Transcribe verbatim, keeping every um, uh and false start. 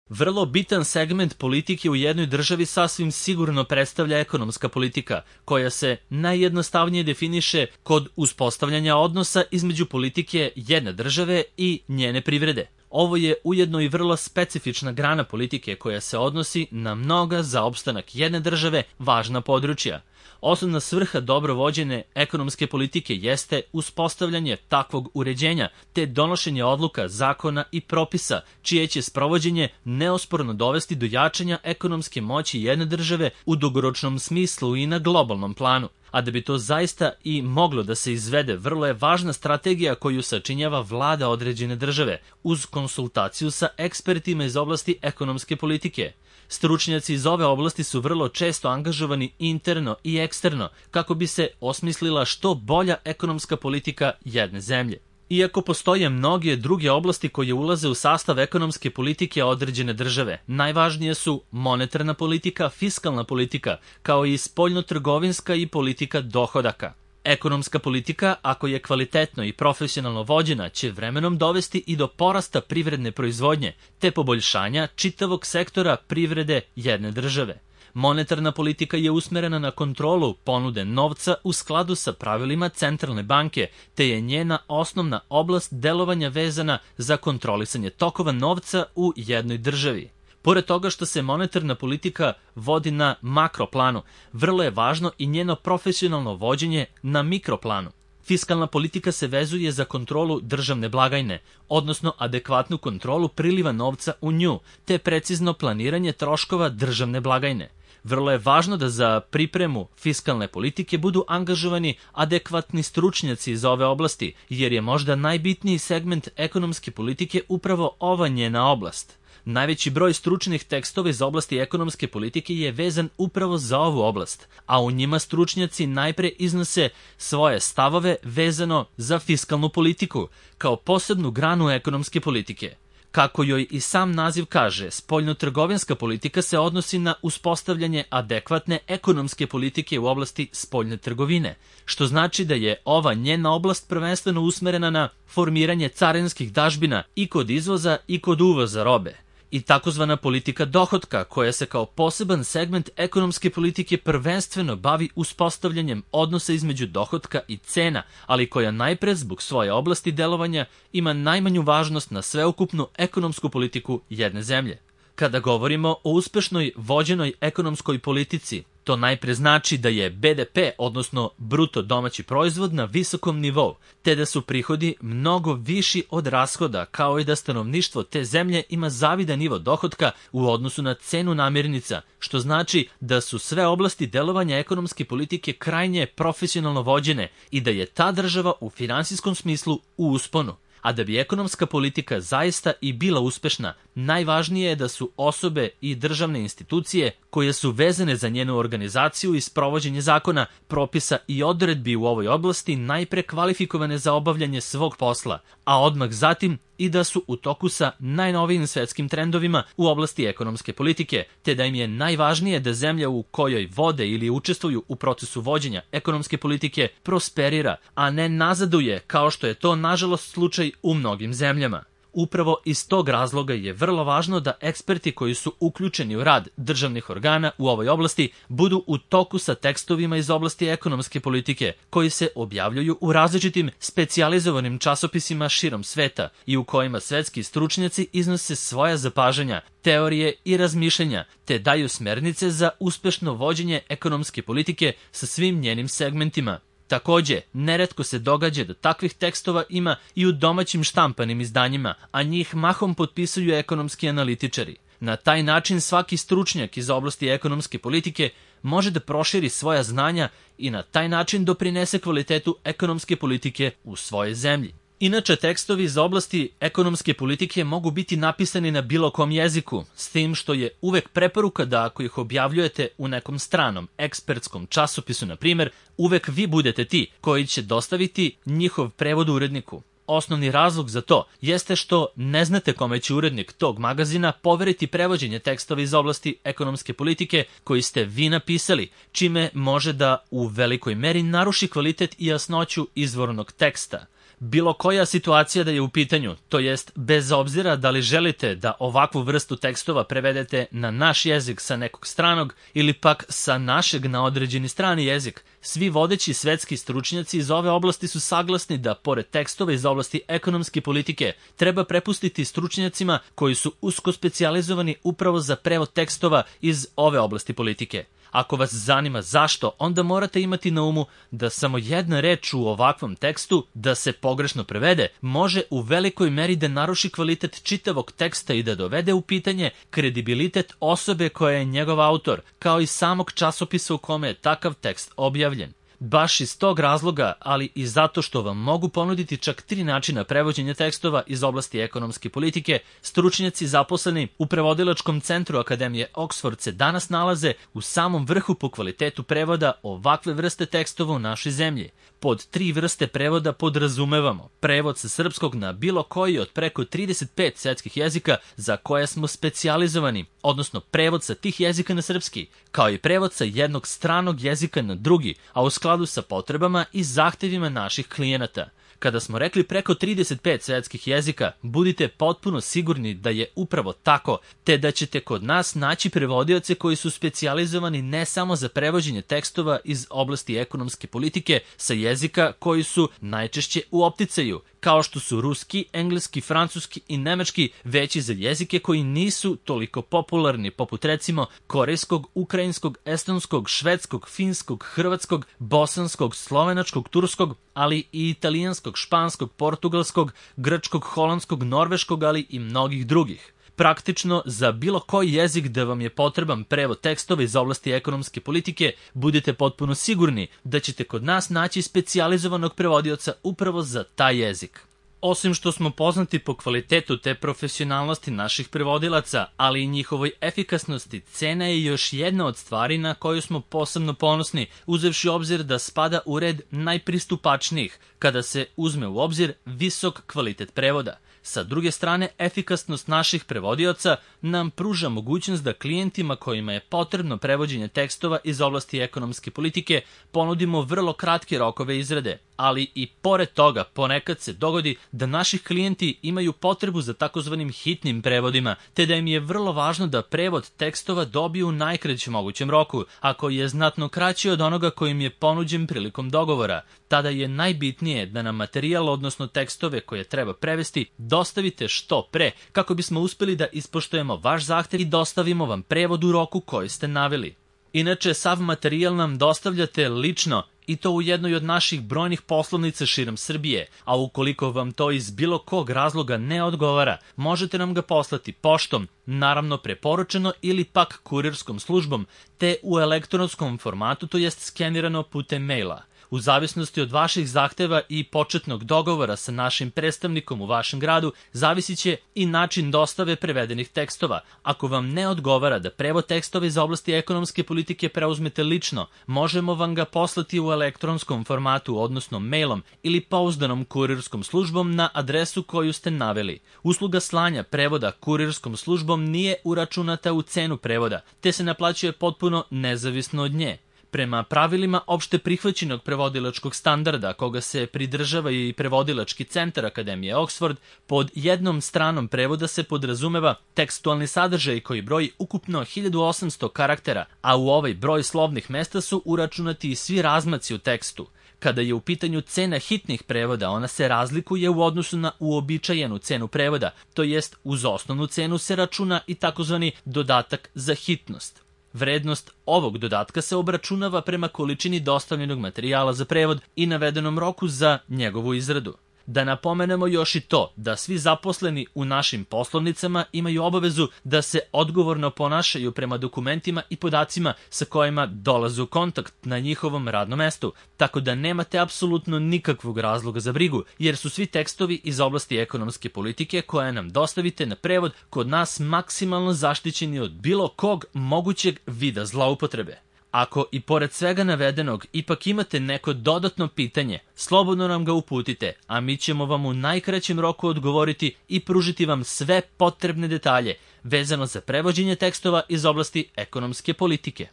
Vrlo bitan segment politike u jednoj državi sasvim sigurno predstavlja ekonomska politika, koja se najjednostavnije definiše kod uspostavljanja odnosa između politike jedne države i njene privrede. Ovo je ujedno i vrlo specifična grana politike koja se odnosi na mnoga za opstanak jedne države važna područja. Osnovna svrha dobro vođene ekonomske politike jeste uspostavljanje takvog uređenja te donošenje odluka, zakona i propisa, čije će sprovođenje neosporno dovesti do jačanja ekonomske moći jedne države u dugoročnom smislu i na globalnom planu. A da bi to zaista i moglo da se izvede, vrlo je važna strategija koju sačinjava vlada određene države, uz konsultaciju sa ekspertima iz oblasti ekonomske politike. Stručnjaci iz ove oblasti su vrlo često angažovani interno i eksterno kako bi se osmislila što bolja ekonomska politika jedne zemlje. Iako postoje mnoge druge oblasti koje ulaze u sastav ekonomske politike određene države, najvažnije su monetarna politika, fiskalna politika, kao i spoljnotrgovinska i politika dohodaka. Ekonomska politika, ako je kvalitetno i profesionalno vođena, će vremenom dovesti i do porasta privredne proizvodnje, te poboljšanja čitavog sektora privrede jedne države. Monetarna politika je usmerena na kontrolu ponude novca u skladu sa pravilima centralne banke, te je njena osnovna oblast delovanja vezana za kontrolisanje tokova novca u jednoj državi. Pored toga što se monetarna politika vodi na makroplanu, vrlo je važno i njeno profesionalno vođenje na mikroplanu. Fiskalna politika se vezuje za kontrolu državne blagajne, odnosno adekvatnu kontrolu priliva novca u nju, te precizno planiranje troškova državne blagajne. Vrlo je važno da za pripremu fiskalne politike budu angažovani adekvatni stručnjaci iz ove oblasti, jer je možda najbitniji segment ekonomske politike upravo ova njena oblast. Najveći broj stručnih tekstova iz oblasti ekonomske politike je vezan upravo za ovu oblast, a u njima stručnjaci najpre iznose svoje stavove vezano za fiskalnu politiku, kao posebnu granu ekonomske politike. Kako joj i sam naziv kaže, spoljnotrgovinska politika se odnosi na uspostavljanje adekvatne ekonomske politike u oblasti spoljne trgovine, što znači da je ova njena oblast prvenstveno usmerena na formiranje carinskih dažbina i kod izvoza i kod uvoza robe. I takozvana politika dohotka, koja se kao poseban segment ekonomske politike prvenstveno bavi uspostavljanjem odnosa između dohotka i cena, ali koja najpre zbog svoje oblasti delovanja ima najmanju važnost na sveukupnu ekonomsku politiku jedne zemlje. Kada govorimo o uspešnoj vođenoj ekonomskoj politici, to najpre znači da je be de pe, odnosno bruto domaći proizvod, na visokom nivou, te da su prihodi mnogo viši od rashoda, kao i da stanovništvo te zemlje ima zavidan nivo dohotka u odnosu na cenu namirnica, što znači da su sve oblasti delovanja ekonomske politike krajnje profesionalno vođene i da je ta država u finansijskom smislu u usponu. A da bi ekonomska politika zaista i bila uspešna, najvažnije je da su osobe i državne institucije koje su vezane za njenu organizaciju i sprovođenje zakona, propisa i odredbi u ovoj oblasti najpre kvalifikovane za obavljanje svog posla, a odmah zatim i da su u toku sa najnovijim svetskim trendovima u oblasti ekonomske politike, te da im je najvažnije da zemlja u kojoj vode ili učestvuju u procesu vođenja ekonomske politike prosperira, a ne nazaduje, kao što je to nažalost slučaj u mnogim zemljama. Upravo iz tog razloga je vrlo važno da eksperti koji su uključeni u rad državnih organa u ovoj oblasti budu u toku sa tekstovima iz oblasti ekonomske politike, koji se objavljuju u različitim specijalizovanim časopisima širom sveta i u kojima svetski stručnjaci iznose svoja zapažanja, teorije i razmišljanja, te daju smernice za uspešno vođenje ekonomske politike sa svim njenim segmentima. Takođe, neretko se događa da takvih tekstova ima i u domaćim štampanim izdanjima, a njih mahom potpisuju ekonomski analitičari. Na taj način svaki stručnjak iz oblasti ekonomske politike može da proširi svoja znanja i na taj način doprinese kvalitetu ekonomske politike u svojoj zemlji. Inače, tekstovi iz oblasti ekonomske politike mogu biti napisani na bilo kom jeziku, s tim što je uvek preporuka da ako ih objavljujete u nekom stranom, ekspertskom časopisu, na primjer, uvek vi budete ti koji će dostaviti njihov prevod uredniku. Osnovni razlog za to jeste što ne znate kome će urednik tog magazina poveriti prevođenje tekstova iz oblasti ekonomske politike koji ste vi napisali, čime može da u velikoj meri naruši kvalitet i jasnoću izvornog teksta. Bilo koja situacija da je u pitanju, to jest bez obzira da li želite da ovakvu vrstu tekstova prevedete na naš jezik sa nekog stranog ili pak sa našeg na određeni strani jezik, svi vodeći svetski stručnjaci iz ove oblasti su saglasni da pored tekstova iz oblasti ekonomske politike treba prepustiti stručnjacima koji su usko specijalizovani upravo za prevod tekstova iz ove oblasti politike. Ako vas zanima zašto, onda morate imati na umu da samo jedna reč u ovakvom tekstu, da se pogrešno prevede, može u velikoj meri da naruši kvalitet čitavog teksta i da dovede u pitanje kredibilitet osobe koja je njegov autor, kao i samog časopisa u kome je takav tekst objavljen. Baš iz tog razloga, ali i zato što vam mogu ponuditi čak tri načina prevođenja tekstova iz oblasti ekonomske politike, stručnjaci zaposleni u prevodilačkom centru Akademije Oxford se danas nalaze u samom vrhu po kvalitetu prevoda ovakve vrste tekstova u našoj zemlji. Pod tri vrste prevoda podrazumevamo prevod sa srpskog na bilo koji od preko trideset pet svetskih jezika za koje smo specijalizovani, odnosno prevod sa tih jezika na srpski, kao i prevod sa jednog stranog jezika na drugi, a u skladu sa potrebama i zahtevima naših klijenata. Kada smo rekli preko trideset pet svetskih jezika, budite potpuno sigurni da je upravo tako, te da ćete kod nas naći prevodioce koji su specijalizovani ne samo za prevođenje tekstova iz oblasti ekonomske politike sa jezika koji su najčešće u opticaju, kao što su ruski, engleski, francuski i nemački, već i za jezike koji nisu toliko popularni, poput recimo korejskog, ukrajinskog, estonskog, švedskog, finskog, hrvatskog, bosanskog, slovenačkog, turskog, ali i italijanskog, španskog, portugalskog, grčkog, holandskog, norveškog, ali i mnogih drugih. Praktično, za bilo koji jezik da vam je potreban prevod tekstova iz oblasti ekonomske politike, budete potpuno sigurni da ćete kod nas naći specijalizovanog prevodioca upravo za taj jezik. Osim što smo poznati po kvalitetu te profesionalnosti naših prevodilaca, ali i njihovoj efikasnosti, cena je još jedna od stvari na koju smo posebno ponosni, uzevši obzir da spada u red najpristupačnijih, kada se uzme u obzir visok kvalitet prevoda. Sa druge strane, efikasnost naših prevodioca nam pruža mogućnost da klijentima kojima je potrebno prevođenje tekstova iz oblasti ekonomske politike ponudimo vrlo kratke rokove izrade, ali i pored toga ponekad se dogodi da naši klijenti imaju potrebu za takozvanim hitnim prevodima, te da im je vrlo važno da prevod tekstova dobiju u najkraćem mogućem roku, ako je znatno kraći od onoga kojim je ponuđen prilikom dogovora. Tada je najbitnije da nam materijal, odnosno tekstove koje treba prevesti, dostavite što pre, kako bismo uspeli da ispoštujemo vaš zahtev i dostavimo vam prevod u roku koji ste naveli. Inače, sav materijal nam dostavljate lično, i to u jednoj od naših brojnih poslovnica širom Srbije, a ukoliko vam to iz bilo kog razloga ne odgovara, možete nam ga poslati poštom, naravno preporučeno ili pak kurirskom službom, te u elektronskom formatu, to jest skenirano putem maila. U zavisnosti od vaših zahteva i početnog dogovora sa našim predstavnikom u vašem gradu, zavisit će i način dostave prevedenih tekstova. Ako vam ne odgovara da prevod tekstova iz oblasti ekonomske politike preuzmete lično, možemo vam ga poslati u elektronskom formatu, odnosno mailom ili pouzdanom kurirskom službom na adresu koju ste naveli. Usluga slanja prevoda kurirskom službom nije uračunata u cenu prevoda, te se naplaćuje potpuno nezavisno od nje. Prema pravilima opšte prihvaćenog prevodilačkog standarda, koga se pridržava i prevodilački centar Akademije Oxford, pod jednom stranom prevoda se podrazumeva tekstualni sadržaj koji broji ukupno hiljadu osamsto karaktera, a u ovaj broj slovnih mesta su uračunati i svi razmaci u tekstu. Kada je u pitanju cena hitnih prevoda, ona se razlikuje u odnosu na uobičajenu cenu prevoda, to jest uz osnovnu cenu se računa i takozvani dodatak za hitnost. Vrednost ovog dodatka se obračunava prema količini dostavljenog materijala za prevod i navedenom roku za njegovu izradu. Da napomenemo još i to da svi zaposleni u našim poslovnicama imaju obavezu da se odgovorno ponašaju prema dokumentima i podacima sa kojima dolaze u kontakt na njihovom radnom mestu, tako da nemate apsolutno nikakvog razloga za brigu, jer su svi tekstovi iz oblasti ekonomske politike koje nam dostavite na prevod kod nas maksimalno zaštićeni od bilo kog mogućeg vida zloupotrebe. Ako i pored svega navedenog ipak imate neko dodatno pitanje, slobodno nam ga uputite, a mi ćemo vam u najkraćem roku odgovoriti i pružiti vam sve potrebne detalje vezano za prevođenje tekstova iz oblasti ekonomske politike.